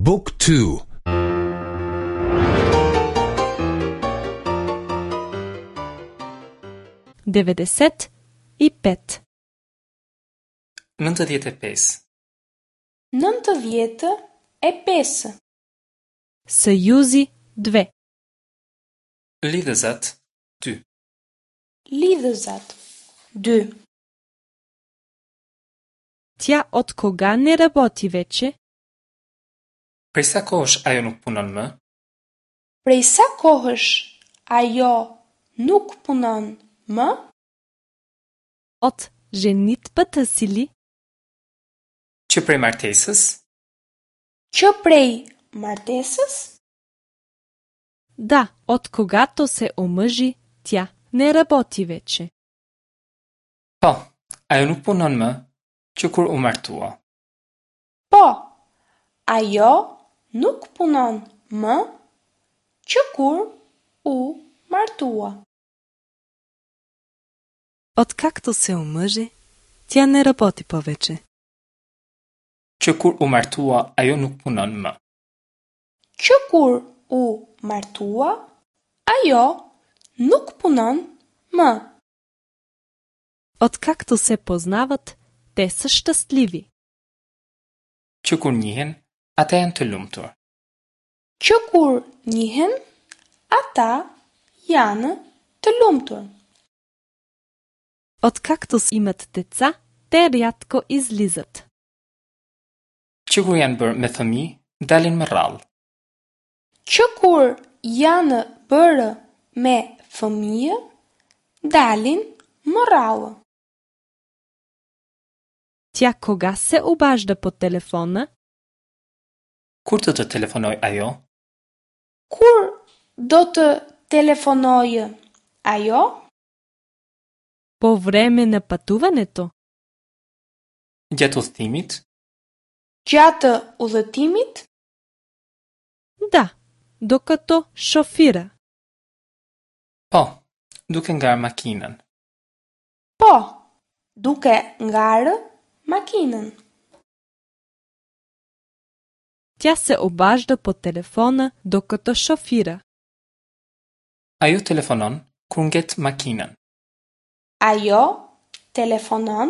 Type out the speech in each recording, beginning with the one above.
บุ๊กทู 95. 95. 95. Съюзи 2. Lidhëzat 2. Lidhëzat 2. Тя от кога не работи вече? Prej sa kohësh ajo nuk punon më? Prej sa kohësh ajo nuk punon më? От женитбата си ли? Që prej martesës? Që prej martesës? Да, откогато се омъжи, тя не работи вече. Po, ajo nuk punon më që kur u martua. Po, ajo nuk punon më që kur u martua. Откакто се омъжи, тя не работи повече. Që kur u martua, ajo nuk punon më. Që kur u martua, ajo nuk punon më. Откакто се познават, те са щастливи. Që kur njihen, ata janë të lumtur. Që kur njihen, ata janë të lumtur. Откакто имат деца, те рядко излизат. Që kur janë bërë me fëmijë, dalin më rrallë. Që kur janë bërë me fëmijë, dalin më rrallë. Тя кога се обажда по телефона? Kur do të telefonojë ajo? Kur do të telefonojë ajo? По време на пътуването? Gjatë udhëtimit? Gjatë udhëtimit? Да, докато шофира. Po, duke ngarë makinën. Po, duke ngarë makinën. Тя се обажда по телефона докато шофира. Ajo telefonon kur nget makinën. Ajo telefonon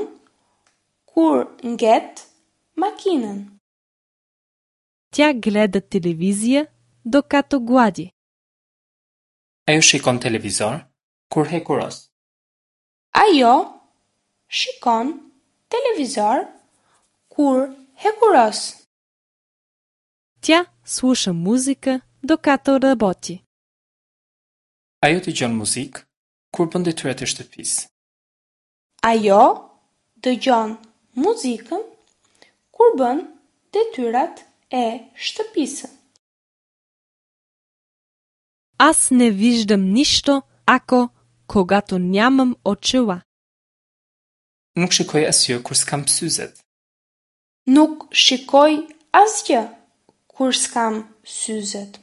kur nget makinën. Тя гледа телевизия докато глади. Ajo shikon televizor kur hekuros. Ajo shikon televizor kur hekuros. Тя слуша музика докато работи. Ajo dëgjon muzikë kur bën detyrat e shtëpisë. Ajo dëgjon muzikën kur bën detyrat e shtëpisë. Аз не виждам нищо, ако, когато нямам очила. Nuk shikoj asgjë kur s'kam syzet. Nuk shikoj asgjë kur s'kam syzet.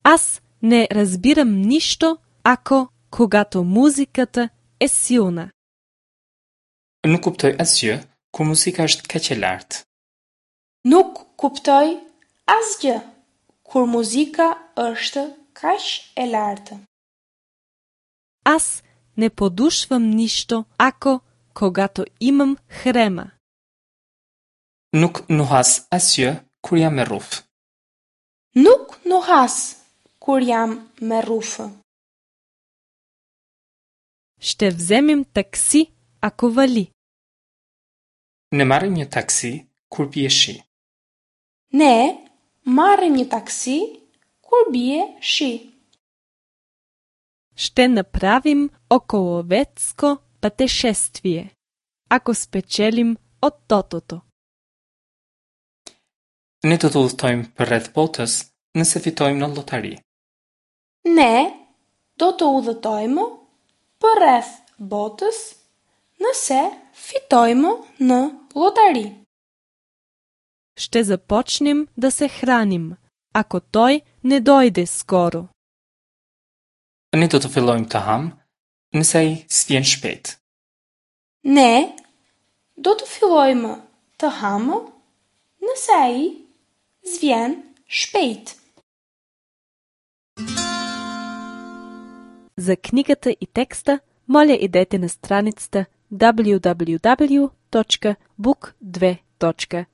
Аз не разбирам нищо, ако, когато музиката е силна. Nuk kuptoj asgjë kur muzika është kaq e lartë. Nuk kuptoj asgjë kur muzika është kaq e lartë. Аз не подушвам нищо, ако, когато имам хрема. Nuk nuhas asgjë kur jam me rrufë. Nuk nuhas kur jam me rrufë. Ще вземем такси, ако вали. Ne marrim një taksi kur bie shi. Ne marrim një taksi kur bie shi. Ще направим околосветско пътешествие, ако спечелим от тотото. Ne do të udhëtojmë përreth botës nëse fitojmë në llotari. Ne do të udhëtojmë përreth botës nëse fitojmë në llotari. Ще започнем да се храним, ако той не дойде скоро. Ne do të fillojmë të hamë nëse ai s'vjen shpejt. Ne do të fillojmë të hamë nëse ai s'vjen shpejt. За книгата и текста, моля идете на страницата www.book2.de.